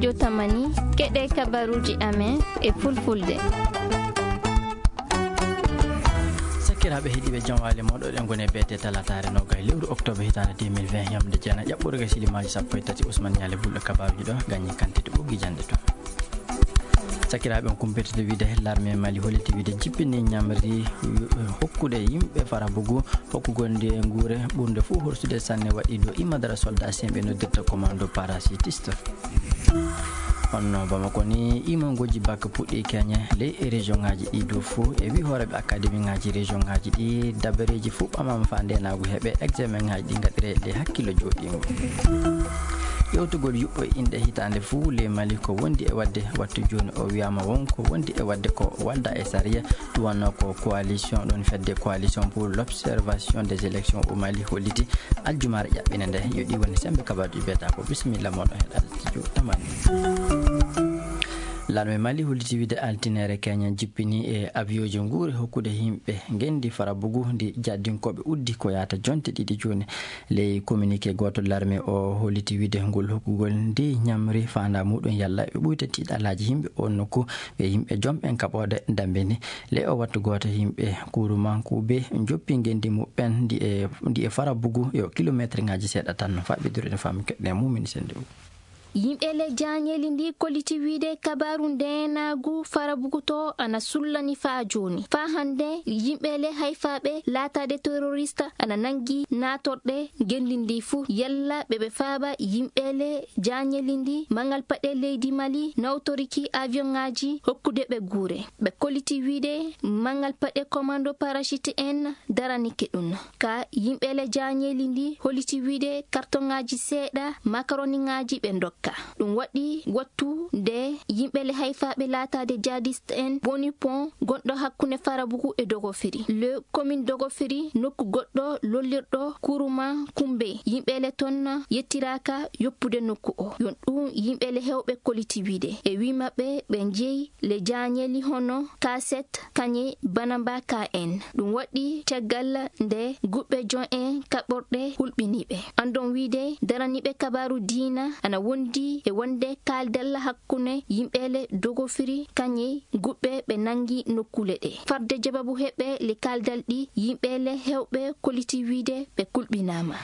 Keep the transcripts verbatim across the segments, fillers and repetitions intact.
Jotamani, keɗe kabaruuji amen e fulfulde. Sakiraaɓe heɗiiɓe, jam waali mooɗon. Eɗen ngoni e beete talataare noogay lewru oktoobar hitaande deux mille vingt, yamde jeenay ƴaɓɓoore ga silimaaji sappo e tati. Usman Ñaale Bulɗo, kabaaruuji ɗo gañi kantite ɓoggi jannde to. Sakiraaɓe, on kumpitata wiide larme Mali holliti wiide jippini ñamri hokkude yimɓe Farabugu, hokkugol nde nguure ɓurnde fof horsude sanne waɗi ɗo Imadara soldat semɓe noddirta commando parachutiste. Honno Bamako ni, imangoji bac puɗɗi keñe ley e région ngaji ɗi dow fof, e wi hooreɓe académie ngaji région ngaji ɗi, dabareji fof ɓamama fa ndenagu heɓe examen ngaji ɗi gaɗire ley hakkillo joɗingo. Ƴewtugol yuɓɓo e inɗe hitande fof ley Mali ko wondi e wadde wattu joni, o wiyama won ko wondi e wadde ko walda e sariya. Ɗum wonno ko coalition, ɗon fedde coalition pour l'observation des élections au Mali holliti aljumaare ƴaɓɓinde nde. Yo ɗi woni sembe kabaruji beta ko. Bisimilla moɗon heɗal studio tamani. Larme Mali holliti wiide altinere keñe jippini e avion ji nguure hokkude yimɓe ngendi Farabugu ndi jaddinkoɓe uddi ko yaata jonte ɗiɗi joni. Ley communiqué gooto larme o holliti wiide ngol hokkugol ndi ñamri fanda muɗum yalla ɓe ɓuyta tiiɗalaji yimɓe on nokku, ɓe yimɓe jom ɓen kaɓode dambe ni. Ley o wattu gooto yimɓe kurumankuɓe joppi ngendi muɓɓen ndi e, ndi e Farabugu yo kilometre ngaji seeɗa tan no faɓɓidiri no fami keɗɗe mumini sende o. Yimɓe le jañeli ndi koliti wiide kabaru ndenaagu Farabugu to ana sullani faa jooni. Faa hannde yimɓe le hayfaaɓe laataade terorista ana nanngi naatorɗe ngenndi ndi fuu. Yalla ɓe ɓe faaba yimɓe le jañeli ndi mangal paɗe leydi Mali nawtoriki avion ŋaaji hokkude ɓe guure. Ɓe koliti wiide mangal paɗe commando parachute en daranike ɗum. Ka yimɓe le jañeli ndi holiti wiide kartoŋaaji seeɗa makaroniŋaaji ɓe ndokka. Ɗum waɗi wattu nde yimɓe le hayfaaɓe laataade jihadiste en boni pont gonɗo hakkunde Farabugu e Dogofiri. Le commune Dogofiri nokku goɗɗo lollirɗo kuruma kumbe. Yimɓe le ton yettiraaka yoppude nokku o. Yon ɗum yimɓe le hewɓe koliti wiide. E wi maɓɓe ɓe njeyi le jañeli hono Kaset, Kañe, Banamba K N. Ɗum waɗi caggal nde guɓɓe jon en kaɓorɗe hulɓiniiɓe. Anndon wiide daraniiɓe kabaaru diina ana wondi e wonde kaaldal hakkunde yimɓe le Dogofiri Kañe guɓɓe ɓe nanngi nokkuule ɗe. Farde jababu heɓe le kaaldal ɗi yimɓe le hewɓe koliti wiide ɓe kulɓinaama.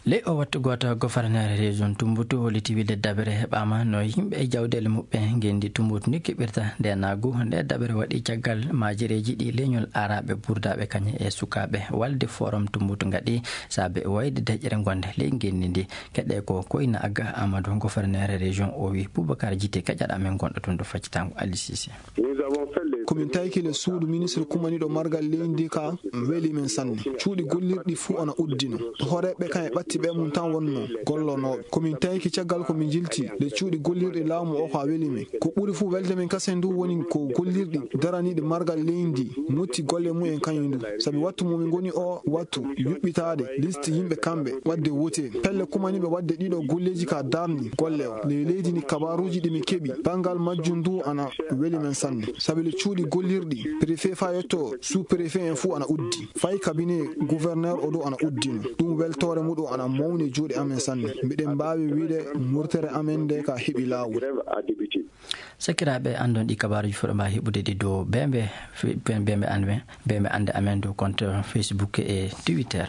Ley o wattu gooto, gofarneere région Tumboutu holliti wiide dabere heɓaama no yimɓe e jawdeele muɓɓe ngenndi Tumboutu ni keɓirta nde naagu. Nde dabere waɗi caggal maajireeji ɗi leñol aaraaɓe, buurdaaɓe kañe e sukaaɓe walde forum Tumboutu ngaɗi saabe wayde deƴƴere ngonde ley ngenndi ndi. Keɗe ko Koyna Agga Amadou, gofarneere région o wi Boubacar Jité keƴaɗo amen gonɗo toon to faccitango Ali Cissé. Ko min tawki le suudu ministre kumaniiɗo margal leydi ndi ka weli men sanne. Cuuɗi gollirɗi fuu ana uddino. Hooreeɓe kan e ɓatti ɓe mum tan wonno gollonooɓe. Ko min tawki caggal ko min jilti le cuuɗi gollirɗi laamu o ka weli men. Ko ɓuri fuu welde men kasen ndu woni ko gollirɗi daraniiɗi margal leydi ndi motti golle mum en kañum ndu. Sabi wattu mo min ngoni o wattu yuɓɓitaade liste yimɓe kamɓe waɗde wote. Pelle kumaniiɓe waɗde ɗiɗo golleeji ka darni golle o. Ley leydi ndi kabaaruuji ɗi min keɓi banngal majjum ndu ana weli men sanne. Sabi le cuuɗi gollirɗi préfet faa yetto sous préfet en fuu ana uddi. Fay cabinet gouverneur o ɗo ana uddino. Ɗum weltoore muɗum ana mawni e juuɗe amen sanne. Miɗen mbaawi wiide murtere amen nde ka heɓi laawol. Sakiraaɓe, anndon ɗi kabaaruuji fuɗɗo mbaa heɓude ɗi dow bembe, fe-, bembe anme, bembe annde amen dow compte Facebook e Twitter.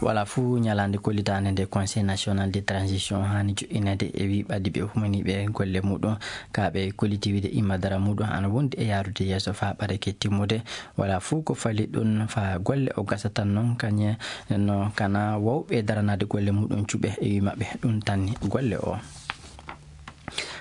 Wala fuu ñalaande kollitaande nde Conseil National de Transition haani joƴƴineede e wi ɓaddi ɓe humaniiɓe golle muɗum, ka ɓe kolliti wiide imma dara muɗum ana wondi e yaarude yeeso faa ɓadake timmude. Wala fuu ko fali ɗum faa golle o gasa tan noon kañe no kana wawɓe daranaade golle muɗum cuɓe e wi maɓɓe ɗum tanni golle o.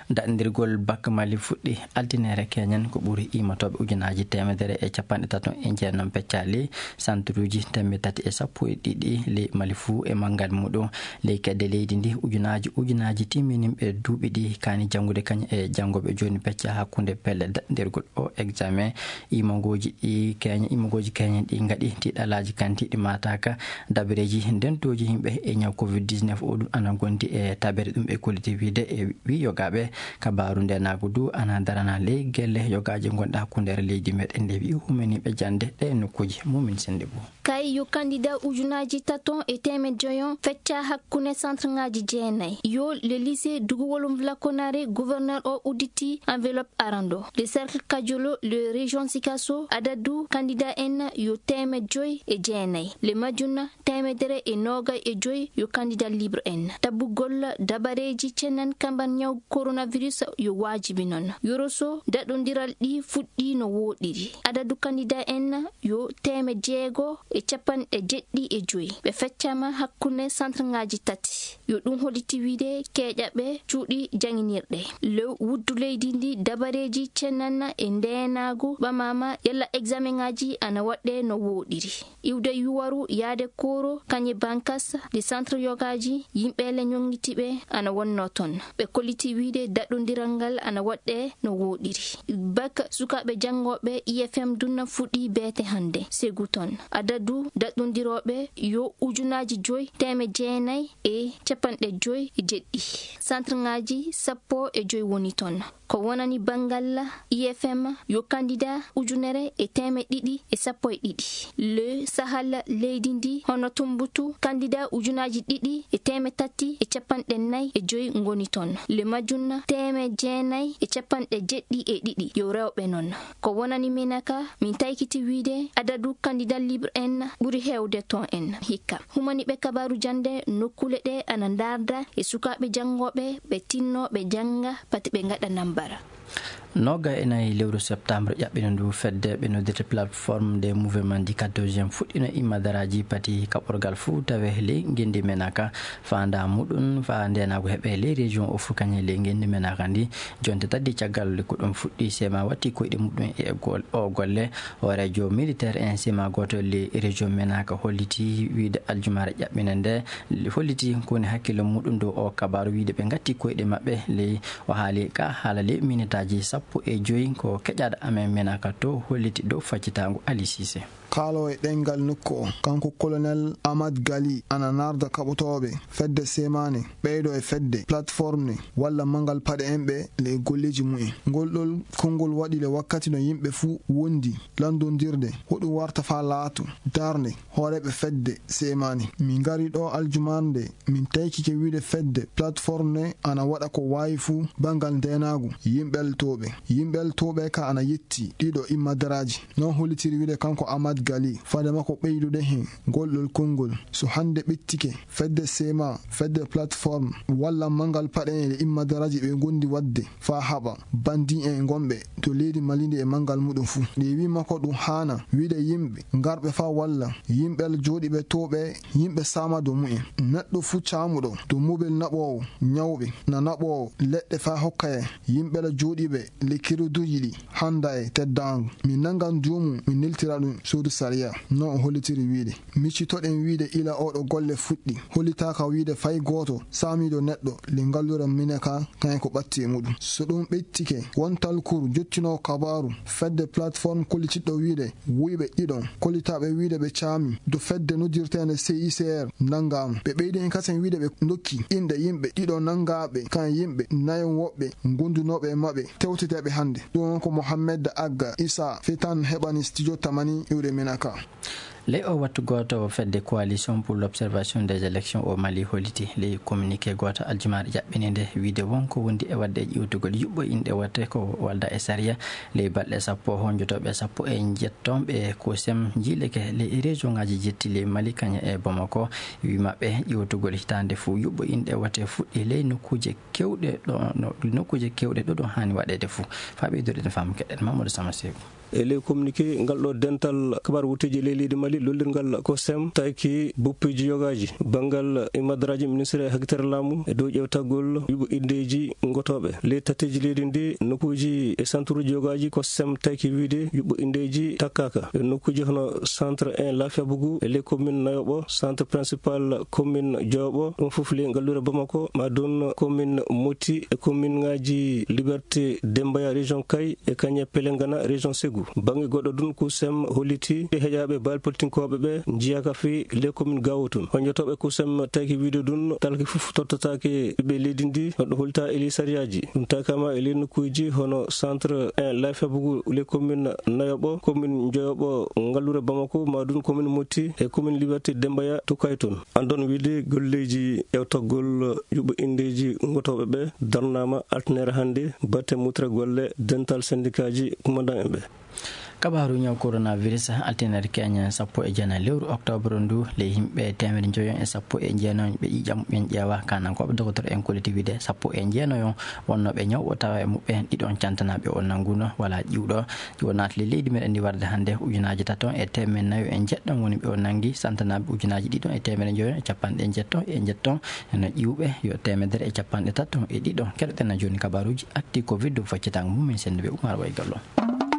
Daɗndirgol Bak Mali fuɗɗi altine keñen ko ɓuri iimotooɓe ujunaaji teemedere e capanɗe tato e jeenom peccaali, santuruuji teemedde tati e sappo e ɗiɗi ley Mali fuu e manngal muɗum. Ley kedde leydi ndi ujunaaji ujunaaji timminimɓe duuɓi ɗi kaani janngude kañum e janngooɓe jooni pecca hakkunde pelle daɗndirgol o examen. Iimangooji ɗi keñe, iimangooji keñen ɗi ngaɗi tiiɗalaaji kantiiɗi maataaka. Dabareeji ndentooji yimɓe e ñaw covid dix-neuf o ɗum ana gondi e tabere ɗum e kolliti wiide e wi yogaaɓe Kabaaru ndeenaagu du ana darana ley gelle yogaaji gonɗe hakkundeere leydi meɗen nde wi'i humaniiɓe jannde ɗe nokkuuji. Mumin Sennde Boo. Kay yo kandida ujunaaji taton e teemed joyon fecca hakkunde centre ngaaji jeenay. Yo le lycée Duguwolum Vlaconare, gouverneur o udditi enveloppe arando. Le cercle Kajolo, le région Sikaso, adadu kandida en yo teemed joy e jeenay. Le majjuna teemedere e noogay e joy yo kandida libre en. Tabbugol dabareeji cennan kamban ñaw coronavirus yo waajibi non. Yoroso daɗondiral ɗi fuɗɗi no wooɗiri. Adadu kandida en yo teeme jeego e capanɗe jeɗɗi e joy. Ɓe feccama hakkunde centre ngaaji tati. Yo ɗum holliti wiide keeƴaɓe cuuɗi jaŋinirɗe. Lew wuddu leydi ndi dabareeji cennana e ndeenaagu ɓamama yalla examen ngaaji ana waɗɗe no wooɗiri. Iwde yuwaru yaade kooro kañe bankas ɗi centre yogaaji yimɓe le ñoŋŋitiɓe ana wonno ton. Ɓe kolliti wiide daɗɗondiral ngal ana waɗɗe no wooɗiri. Bak sukaaɓe janngooɓe I F M dunna fuɗɗi beete hannde. Segu ton. Adadu daɗɗondirooɓe yo ujunaaji joy teeme jeenay e capanɗe joy e jeɗɗi. Centre ngaaji sappo e joy woni ton. Ko wonani banngal I F M yo kandida ujunere e teeme ɗiɗi e sappo e ɗiɗi. Le Sahal leydi ndi hono Tumbutu kandida ujunaaji ɗiɗi e teeme tati e capanɗe nay e joy ngoni ton. Le majjun teeme jeenay e capanɗe jeɗɗi e ɗiɗi yo rewɓe non. Ko wonani Menaka, min taykiti wiide adadu kandida libre en ɓuri heewde ton en hikka. Humaniiɓe kabaaru jannde nokkuule ɗe ana ndaarda e sukaaɓe janngooɓe ɓe tinno ɓe jannga pati ɓe ngaɗa nambara. Noga e nayi lewru septembre ƴaɓɓino ndu fedde ɓe noddirta plateforme des mouvements du quatorzième fuɗɗino immadaraaji pati kaɓorgal fuu tawe ley ngenndi Menaka. Faandaa muɗum faa ndeenaagu heɓe ley région o fuu kañe ley ngenndi Menaka ndi. Jonte tati caggal ko ɗum fuɗɗi, sema watti koyɗe muɗum e gol-, o golle. Hooreejo militaire en sema gooto ley région Menaka holliti wiide aljumaare ƴaɓɓino nde holliti ko woni hakkille muɗum dow o kabaaru wiide ɓe ngatti koyɗe maɓɓe ley. O haali ka haala ley minitaaji sappo e joy ko keƴaaɗo amen Menaka to holliti dow faccitaangu Ali Cissé. Kaalo e ɗemngal nokku o, kanko Colonel Amad Gali ana naarda kaɓotooɓe fedde semaane, ɓeydo e fedde plateforme ne, walla manngal paɗe en ɓe le golleeji mumen. Ngol ɗol konngol waɗi le wakkati no yimɓe fuu wondi lanndondirde, hoɗum warta faa laato darnde hooreeɓe fedde semaane. Min ngari ɗo aljumaare nde, min taykike wiide fedde plateforme ne ana waɗa ko waawi fuu banngal ndeenaagu, yimɓe eltooɓe. Yimɓe eltooɓe ka ana yetti ɗiɗo immadaraaji. Non hollitiri wiide kanko Amad Gali, fade makko ɓeydude heen ngol ɗol konngol. So hannde ɓettike, fedde sema, fedde plateforme, walla manngal paɗe en e immadaraaji ɓe ngondi waɗde faa haɓa bandi en gonɓe to leydi Mali ndi e manngal muɗum fuu. Ɗe wii makko ɗum haana wiide yimɓe ngarɓe faa walla yimɓe jooɗiiɓe to ɓe, yimɓe saama dow mumen. Neɗɗo fuu caamuɗo dow mobel naɓoowo ñawɓe, na naɓoowo leɗɗe faa hokka en yimɓe la jooɗiiɓe le keroduuji ɗi hannda e teddaangu. Mi nanngan joomum, mi neltira ɗum suudu sariya. Non o hollitiri wiide. Miccitoɗen wiide ila oɗo golle fuɗɗi, hollitaaka wiide fay gooto saamiiɗo neɗɗo le ngalluure Menaka kañum ko ɓatti e muɗum. So ɗum ɓettike, won talkuru jottinoowo kabaaru fedde plateforme kollitiɗɗo wiide wuyɓe ɗiɗon kollitaaɓe wiide ɓe caami dow fedde noddirteende C I C R nanngaama. Ɓe ɓeydi heen kasen wiide ɓe ndokki inɗe yimɓe ɗiɗo nanngaaɓe kañum yimɓe nayon woɓɓe gondunooɓe e maɓɓe tewteteeɓe hannde. Ɗum ko Mohamed Agga Issa Fetan heɓani studio Tamani iwde Menaka. Ley o wattu gooto fedde Coalition pour l'observation des élections au Mali holliti ley communiqué gooto aljumaare ƴaɓɓini nde wiide won ko wondi e waɗde ƴiwtugol yuɓɓo inɗe wote ko walda e sariya. Ley balɗe sappo honjotooɓe sappo e njetton ɓe COSEM jiileke ley région ngaji jetti ley Mali kañe e Bamako wi maɓɓe ƴiwtugol hitaande fuu yuɓɓo inɗe wote fuɗɗi ley nokkuuje kewɗe ɗo, no, nokkuuje kewɗe ɗo ɗum haani waɗeede fuu. Faa ɓeydude no faamu keɗen Mamadou Sama Seeku. E ley communiqué ngal ɗo dental kabaar wutteeji ley leydi Mali, lollirngal COSEM, taki buppeeji yogaaji banngal e madaraaji ministre e hakitere laamu e dow ƴeewtagol yuɓɓo indeeji ngotooɓe. Ley tatteeji leydi ndi, nokkuuji e santuruuji yogaaji COSEM taki wiide yuɓɓo indeeji takkaaka. E nokkuuji hono centre un Lafiya Bugu e ley commune Nayoɓo, centre principal commune Joyoɓo, ɗum fof ley ngalluure Bamako, ma ɗum commune Moti e commune ngaaji Liberté Dembaya région Kay e kañe Pelengana région Ségou. sappo. Bannge goɗɗo ɗun, kusem holliti e heƴaaɓe baali politinkooɓe ɓe njiyaaka fii les communes gawo tun. Honjotooɓe kusem tawki wiide ɗun talki fof tottataake ɓiɓɓe leydi ndi, no ɗun hollita e ley sariyaaji. Ɗun tawkaama e ley nokkuuji hono centre un, laay febugu les communes nayoɓo, commune njoyoɓo ngallure Bamako, maa ɗun commune Motti e commune Liberté Dembaya Tukay tun. Anndon wiide golleeji ewtagol ƴuɓɓo inndeeji ngotooɓe ɓe darnaama altinere hannde, batte mutre golle dental sendikaaji kumandan en ɓe. Kabaaru ñaw coronavirus, altinere keñe sappo e jeenayi lewru oktoobar ndu, ley yimɓe teemedde njoyo e sappo e jeenayi ɓe ƴiiƴam muɓɓen ƴeewa, kaanankooɓe dokotoro en kolliti wiide sappo e jeenayo wonnooɓe ñaw o tawa e muɓɓen ɗiɗon cantanaaɓe o nannguno wala ƴiwɗo. Ƴiwo naati ley leydi meɗen ndi warde hannde, ujunaaji tato e teemedde nayo e jeɗɗon woni ɓe o nanngi, santanaaɓe ujunaaji ɗiɗon e teemedde njoyo e capanɗe jeetati e jeetati. Eno ƴiwɓe yo teemedere e capanɗe tato e ɗiɗo. Keɗoɗen jooni kabaaruuji actu covid, faccitaango mum min senndu ɓe Umar Waygallo.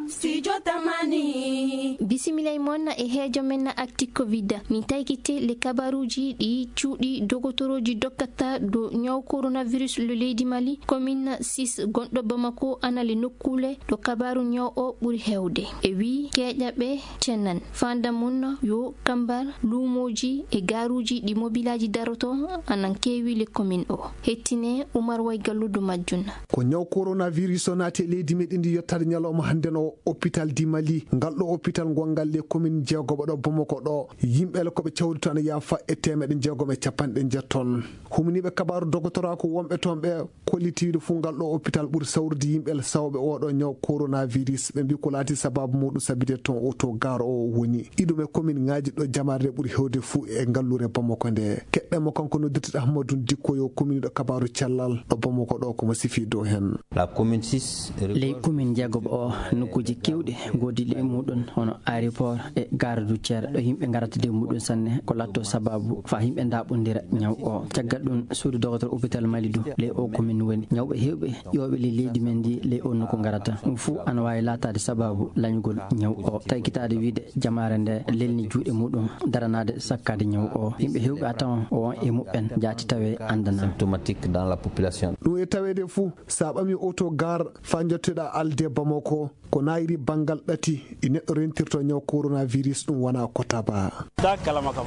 Studio Tamani. Bisimilla e mon e heejo men actu covid. Min taykite le kabaaruuji ɗi cuuɗi dogotorooji dokkata dow ñaw coronavirus le leydi Mali, commune six gonɗo Bamako, ana le nokkuule ɗo kabaaru ñaw o ɓuri heewde. E wii keeƴaɓe cenan. Fanda mun yo kambar luumooji e gaaruuji ɗi mobilaaji daroto anan keewi le commune o. Hettine Umar Waygallo dow majjun. Ko ñaw coronavirus o naati e leydi meɗen ndi yottaade ñalawma hannde no hôpital di Mali. Ngal ɗo hôpital ngongal le commune jeegoɓo ɗo Bamako ɗo. Yimɓe le ko ɓe cawri toon yaafa e teemeɗe jeegom e capanɗe jeetati toon. Humniiɓe kabaaru dogotoraaku wonɓe toon ɓe kollitiiɗo fuu ngal ɗo hôpital ɓuri sawrude yimɓe sawɓe oo ɗoo ñaw coronavirus. Ɓe mbii ko laati sabaabu muuɗum sabide toon oo to gaar o woni. Iɗum e commune ŋaaji ɗo jamaare ɓuri heewde fuu e ngalluure Bamako nde. Keɗɗen mo kanko noddirteɗo Ahmadou Dikko yo commune ɗo kabaaru cellal ɗo Bamako ɗo ko mo sifii dow heen. La commune six. Ley commune jeegoɓo o, nokkuuji keewɗi ngoodi ley muuɗum hono aéroport e gare routière ɗo yimɓe ngarata de muuɗum sanne, ko latto sabaabu faa yimɓe ndaaɓondira ñaw o. Caggal ɗum, suudu dogotor hôpital Mali du ley o commune woni. Ñawɓe heewɓe ƴooɓe ley leydi men ndi ley o nokku ngarata. Ɗum fuu ana waawi laataade sabaabu lañugol ñaw o. Taykitaade wiide jamaare nde lelni juuɗe muuɗum daranaade sakkaade ñaw o. Yimɓe heewɓe a tawan o won e muɓɓen jaati tawe anndanaa. Symptomatique dans la population. Ɗum e taweede fuu, so a ɓamii oto gaar faa njottoɗaa alde Bamako, ko naayiri banngal ɗati ɗi neɗɗo rentirto ñaw coronavirus, ɗum wonaa ko tabaa.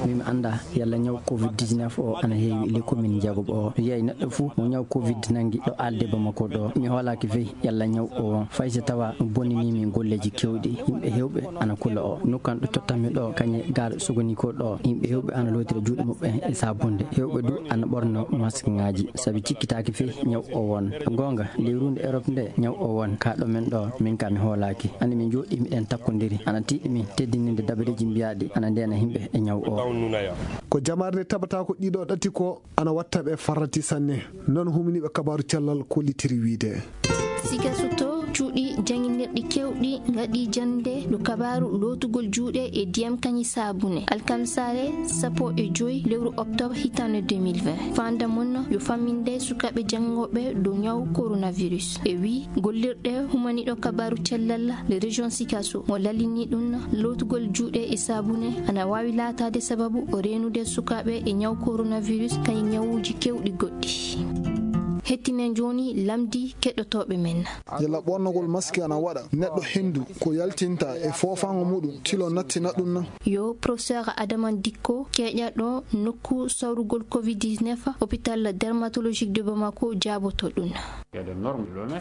Min mi anndaa yalla ñaw covid dix-neuf o ana heewi e ley commune jeegoɓo o. Mi yiyay neɗɗo fuu mo ñaw covid nanngi ɗo alde Bamako ɗo. Mi hoolaaki fey yalla ñaw o won. Fay so tawa ɗum bonninii min golleeji keewɗi, yimɓe heewɓe ana kula o. Nokku an ɗo tottanmi ɗo, kañe gaar Sogonikor ɗo, yimɓe heewɓe ana lootira juuɗe muɓɓen e saabunde. Heewɓe du ana ɓorno maskŋaaji, sabi cikkitaaki fey ñaw o won. Goonga, ley ruunde Europe nde, ñaw o won. Kaa ɗo men ɗo, min kaa mi hoolaaki. Anndi min njooɗii, miɗen takkondiri. Ana tiiɗi min teddininde dabareeji mbiyaaɗi ana ndeena yimɓe e ñaw o. Ko jamaare nde tabata ko ɗiɗo ɗati ko ana watta ɓe farrati sanne. Noon humniiɓe kabaaru cellal kollitiri wiide. Sikasoto cuuɗi jannginirɗi keewɗi ngaɗi jannde ɗo kabaaru lootugol juuɗe e ndiyam kañi saabune. Alkamisaare sappo e joy lewru oktoobar hitaande deux mille vingt. Fanda mun yo famminde sukaaɓe janngooɓe dow ñaw coronavirus. E wii gollirɗe humaniiɗo kabaaru cellal le région Sikaso mo lallini ɗum lootugol juuɗe e saabune ana waawi laataade sababu o reenude sukaaɓe e ñaw coronavirus kañi ñawuuji keewɗi goɗɗi. Hettinen jooni lamndi keɗotooɓe men. Yalla ɓornogol maski ana waɗa neɗɗo henndu ko yaltinta e foofaango muɗum tilo nattina ɗum na? Yo professeur Adama Dikko keeƴaɗo nokku sawrugol covid dix-neuf hôpital dermatologique de Bamako jaaboto ɗum.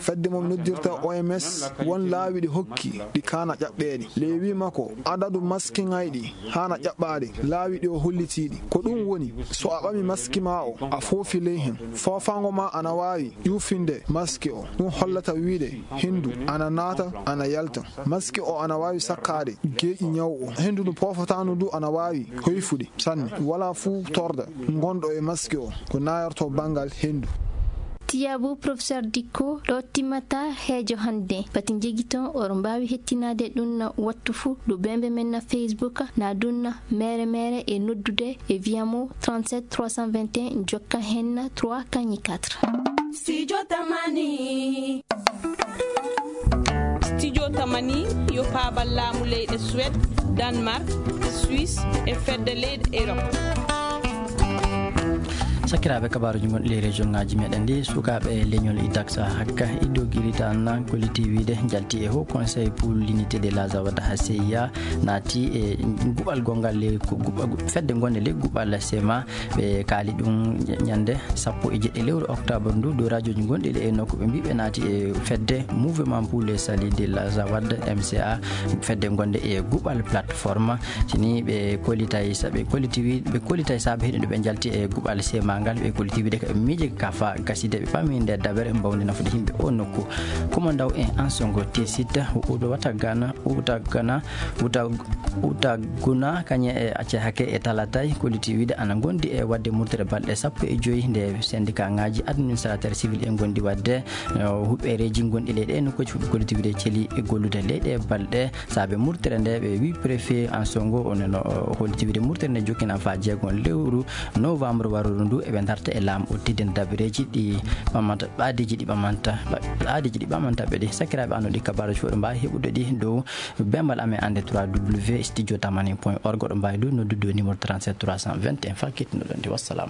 Fedde mum noddirta O M S, won laawi ɗi hokki ɗi kaana ƴaɓɓeede. Ley wii makko, adadu maskiŋayɗi haana ƴaɓɓaade, laawi ɗi o hollitiiɗi. Ko ɗum woni, so a ɓami maski maa o, a foofi ley hen. Foofaango maa ana waawi ƴuufinde maski o. Ɗum hollata wiide henndu ana naata, ana yalta. Maski o ana waawi sakkaade geeƴi ñaw o. Henndu ndu poofataandu ndu ana waawi hoyfude sanne. Walaa fuu torda ngonɗo e maski o ko nayorto banngal henndu. Tiyaabu professeur Dikko ɗo timmata heejo hannde. Pati njegiton oɗon mbaawi hettinaade ɗum na wattu fuu ɗo bembe men na Facebook na ɗum na mere mere e noddude e via mo trente-sept trois cent vingt et un jokka hen na trois kañi quatre. Studio Tamani. Studio Tamani yo paabal laamu leyɗe Suède, Danemark, Suisse e fedde leyɗe Europe. Sakiraaɓe, kabaaruuji gonɗi ley région ŋaaji meɗen ɗi, sukaaɓe leñol idaxa hakka ido giritan, kolliti wiide njalti e Haut Conseil pour l'Unité de la Zawad, ha C I A naati e guɓal gongal ley ko guɓa-, fedde gonde ley guɓal sema. Ɓe kaali ɗum ñande sappo e jeɗɗi lewru octobre ndu, dow radiooji gonɗi e nokku. Ɓe mbi ɓe naati e fedde Mouvement pour le Salut de la Zawad, M C A, fedde gonde e guɓal plateforme. Sini ɓe kollitay sa-, ɓe kolliti wi-, ɓe kollitay saabe heɗen ɗo ɓe njalti e guɓal sema ngal. Ɓe kolliti wiide ka ɓe miije kafa gaside ɓe pami nde dabere mbawde nafude yimɓe o nokku. Kuma ndaw en Ansongo Tesita, Udo Watagana, Utagana, Uta-, Utaguna, kañe e acce hake e talatay, kolliti wiide ana gondi e wadde murtere balɗe sappo e joyi nde syndicat ŋaaji administrateur civil en gondi wadde, eh, huɓɓereeji gonɗi leyɗe nokkuuji fuɗɗi kolliti wiide celi e gollude leyɗe balɗe. Saabe murtere nde, ɓe wi préfet Ansongo, o neno, o holliti wiide murtere nde jokkina fa jeegon lewru novembre waruru ndu, eɓe darta e laamu o teddina dabareeji ɗi ɓamanta, ɓaadeeji ɗi ɓamanta, ɓa-, ɓaadeeji ɗi ɓamanta ɓe ɗi. Sakiraaɓe, ano ɗi kabaaruuji fof ɗo mbaawi heɓude ɗi dow bembal amen annde trois W studio tamani point org. Oɗo mbaawi du noddude dow numéro trente-sept trois cent vingt et un. Fa kettinɗo ɗon de. Wassalam.